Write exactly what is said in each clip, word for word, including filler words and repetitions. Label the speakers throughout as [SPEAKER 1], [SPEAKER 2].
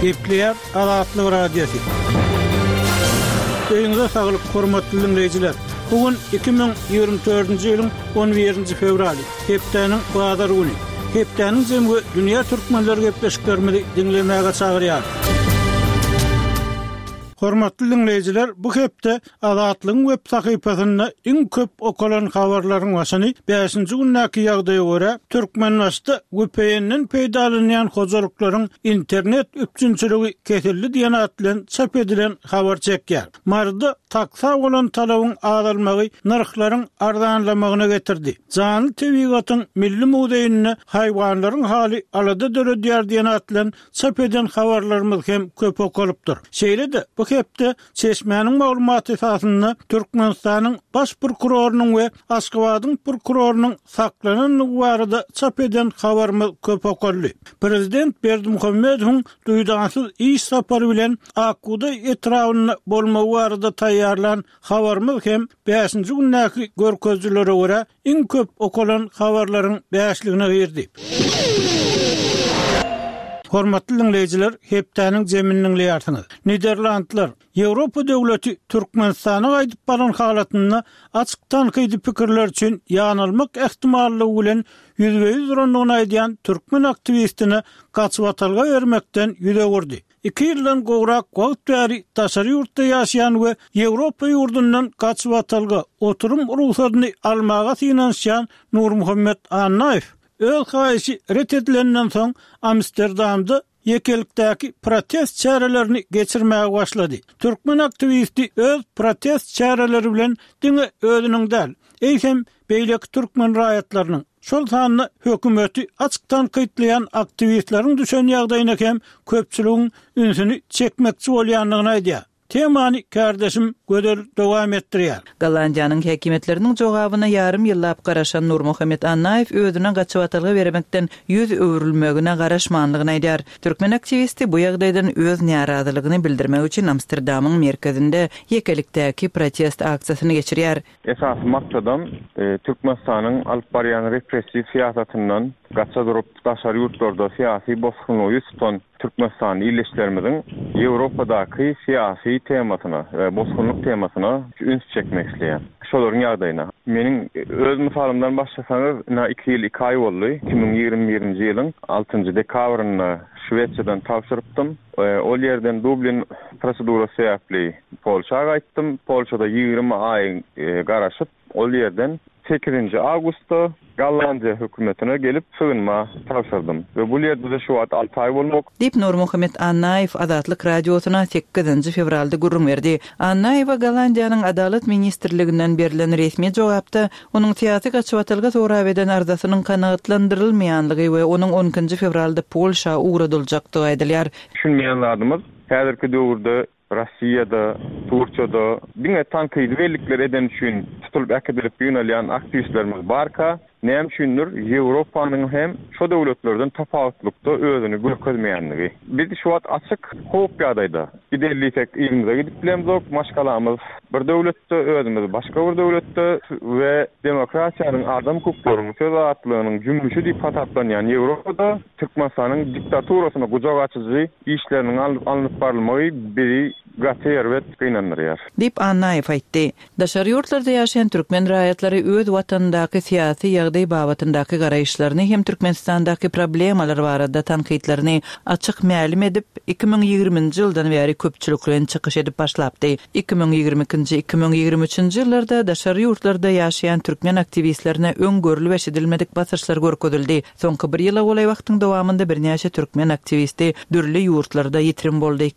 [SPEAKER 1] Gepleýär Azatlyk Radiosy. Öýüňize saglyk, hormatly diňleýjiler. Bu gün iki müň ýigrimi dördünji ýylyň on birinji fewraly, hepdäniň bazar güni. Hepdäniň jemi we dünýä türkmenleri gepleşiklerimizi diňlemäge çagyrýar. Hormatly diňleýjiler, bu hepde Azatlygyň web sahypasynda iň köp okalan habarlaryň başyny bäşinji gündäki ýagdaýa görä, Türkmenbaşyda V P N-den peýdalanýan hojalyklaryň internet üpjünçiligi kesildi diýen at bilen çap edilen habar çekýär. Maryda taksa bolan talabyň azalmagy nyrhlaryň arzanlamagyna getirdi. Janly tebigatyň milli muzeýinde haýwanlaryň haly alada döredýär diýen at bilen çap eden habarlarymyz hem köp okalypdyr. Şeýle-de bu hepde Çeşmäniň maglumaty esasynda Türkmenistanyň baş prokurorynyň we Aşgabadyň prokurorynyň saklanandygy barada çap eden habarymyz köp okaldy. Prezident Berdimuhamedowyň duýdansyz iş sapary bilen Akkuda etrabynda bolmagy barada taýýarlan habarymyz hem bäşinji gündäki görkezijilere görä iň köp okalan habarlaryň bäşligine girdi. Hormatly dinleýjiler, hepdäniň zemini dinleýärsiňiz. Niderlandlar Ýewropa döwleti Türkmenistana gaýdyp baran halatynda açyk tankydy pikirler üçin ýanalmak ähtimallygy bilen ýüzbe-ýüz durandygyny aýdýan türkmen aktiwistine gaçybatalga bermekden ýüz öwürdi. Iki ýyldan gowrak wagt bäri daşary ýurtda ýaşaýan we Ýewropa ýurdundan gaçybatalga oturum rugsadyny almaga synanyşýan Nurmuhammet Annaýew öz haýyşy ret edilenden soň Amsterdamda ýekelikdäki protest çärelerini geçirmäge başlady. Türkmen aktiwisti öz protest çäreleri bilen diňe özüniň däl, eýsem beýleki türkmen raýatlarynyň, şol sanda hökümeti açyk tankytlaýan aktiwistleriň düşen ýagdaýyna hem köpçüligiň ünsüni çekmekçi bolýandygyny aýdýar. Temany kardeşim Gözel dowam etdirýär.
[SPEAKER 2] Gollandiýanyň häkimiýetleriniň jogabyna ýarym ýyllap garaşan Nurmuhammet Annaýew özüne gaçybatalga bermekden ýüz öwrülmegine garaşmanlygyny aýdýar. Türkmen aktiwisti bu ýagdaýdan öz närazylygyny bildirmek üçin Amsterdamyň merkezinde ýekelikdäki protest aksiýasyny geçirýär.
[SPEAKER 3] Esasy maksadam, e, Türkmenistanyň alyp barýan repressiw syýasatyndan gaça durup daşary ýurtlarda syýasy bosgunlygy ýüz tutan Türkmenistan illeşlerimiziň Ýewropadaky syýasy temasyna we bosgunlyk temasyna üns çekmek isleýär. Şolaryň ýagdaýyna. Meniň öz mysalymdan başlasaňyz, ina iki ýyl iki aý boldy. iki müň ýigrimi birinji ýylyň altynjy dekabrynda Şwesiýadan tabşyrypdym. E, ol ýerden Dublin prosedurasy sebäpli Polşa gaýtdym. Polşada ýigrimi aý, e, garaşyp, ol ýerden sekizinji awgustda Gollandiýa hökümetine gelip sygynma tabşyrdym. We bu ýerde de şu wagt alty aý bolmak.
[SPEAKER 2] Diýip Nurmuhammet Annaýew Azatlyk Radiosyna sekizinji fewralda gürrüň berdi. Annaýewa Gollandiýanyň Adalat ministrliginden berlen resmi jogapda onuň syýasy gaçybatalga sorap eden arzasynyň kanagatlandyrylmaýanlygy we onuň on ikinji fewralda Polşa ugradyljakdygy aýdylýar.
[SPEAKER 3] Düşünmeýän zadymyz häzirki döwürde Russiýada, Türkiýede diňe tankydy bellikler eden üçin tutulyp äkidilip ýygnalýan aktiwistlerimiz barka, näme üçindir Ýewropanyň hem şu döwletlerden tapawutlykda özüni görkezmeýänligi. Biz şu wagt açyk howp ýagdaýda. Giderlisek ýerimize gidip bilemzok, maşgalamyz bir döwletde, özümiz başga bir döwletde we demokratiýanyň, adam hukuklarynyň, söz azatlygynyň jümmüşi diýip hasaplanýan Ýewropada Türkmenistanyň diktaturasyna gujak açyjy işleriniň alyp, alnyp barylmagy bizi gaty erbet gynandyrýar.
[SPEAKER 2] Diýip Annaýew aýtdy. Daşary ýurtlarda ýaşaýan türkmen raýatlary öz watanyndaky syýasy ýagdaý babatyndaky garaýyşlaryny hem Türkmenistandaky problemalar barada tankytlaryny açyk mälim edip, iki müň ýigriminji ýyldan bäri köpçülikleýin çykyş edip başlapdy. Iki müň ýigrimi ikinji, iki müň ýigrimi üçünji ýyllarda daşary ýurtlarda ýaşaýan türkmen aktiwistlerine öň görülip eşidilmedik basyşlar görkezildi. Soňky bir ýyla golaý wagtyň dowamynda birnäçe türkmen aktiwisti dürli ýurtlarda ýitirim boldy.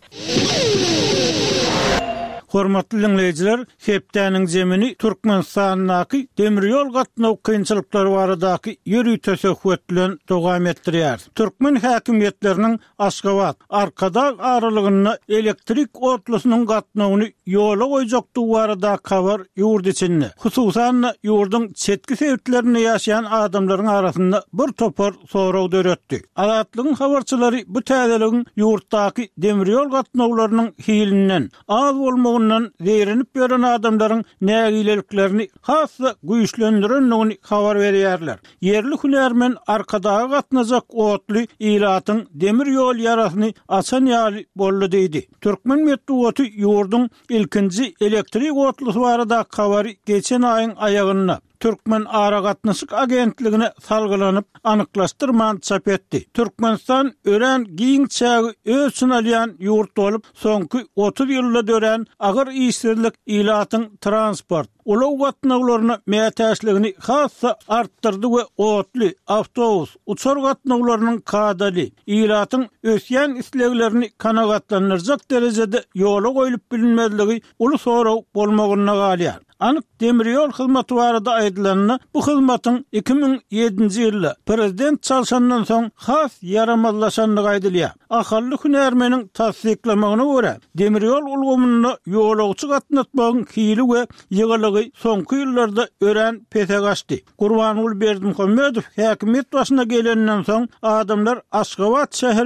[SPEAKER 1] Hormatly dinleýjiler, hepdäniň zemini Türkmenistandaky demir ýol gatnaw kynçylyklary baradaky ýörite söhbet bilen dowam etdirýär. Türkmen häkimiýetleriniň Aşgabat, Arkadag aralygynda elektrik otlusynyň gatnawyny ýola goýjakdygy baradaky habar ýurt içinde, hususan-da ýurduň çetki sebitlerinde ýaşaýan adamlaryň arasynda bir topar sorag döretdi. Azatlygyň habarçylary bu täzeligiň ýurtdaky demir ýol gatnawlarynyň hilinden, az bolmagyndan zeýrenip ýören adamlaryň nägileliklerini has-da güýçlendirendigini habar berýärler. Ýerli hünärmen Arkadaga gatnajak otly ilatyň demir ýol ýarasyny açan ýaly boldy diýdi. Türkmen metbugaty ýurduň ilkinji elektrik otlusy baradaky habary geçen aýyň aýagynda Türkmenaragatnaşyk agentligine salgylanyp, anyklaşdyrman çap etdi. Türkmenistan örän giň çägi öz içine alýan ýurt bolup, soňky otuz ýylda dörän agyr işsizlik ilatyň transport, ulag gatnawlaryna mätäçligini has-da artdyrdy we otly, awtobus, uçar gatnawlarynyň kadaly, ilatyň ösýän isleglerini kanagatlandyrjak derejede ýola goýlup bilinmezligi uly sorag bolmagynda galýar. Anyk demir ýol hyzmaty barada aýdylanda, bu hyzmatyň iki müň ýedinji ýylda prezident çalşandan soň has ýaramazlaşandygy aýdylýar. Ahally hünärmeniň tassyklamagyna görä, demir ýol ulgamynda ýolagçy gatnatmagyň hili we ýygylygy soňky ýyllarda örän pese gaçdy. Gurbanguly Berdimuhamedow häkimiýet başyna geleninden soň, adamlar Aşgabat şäheri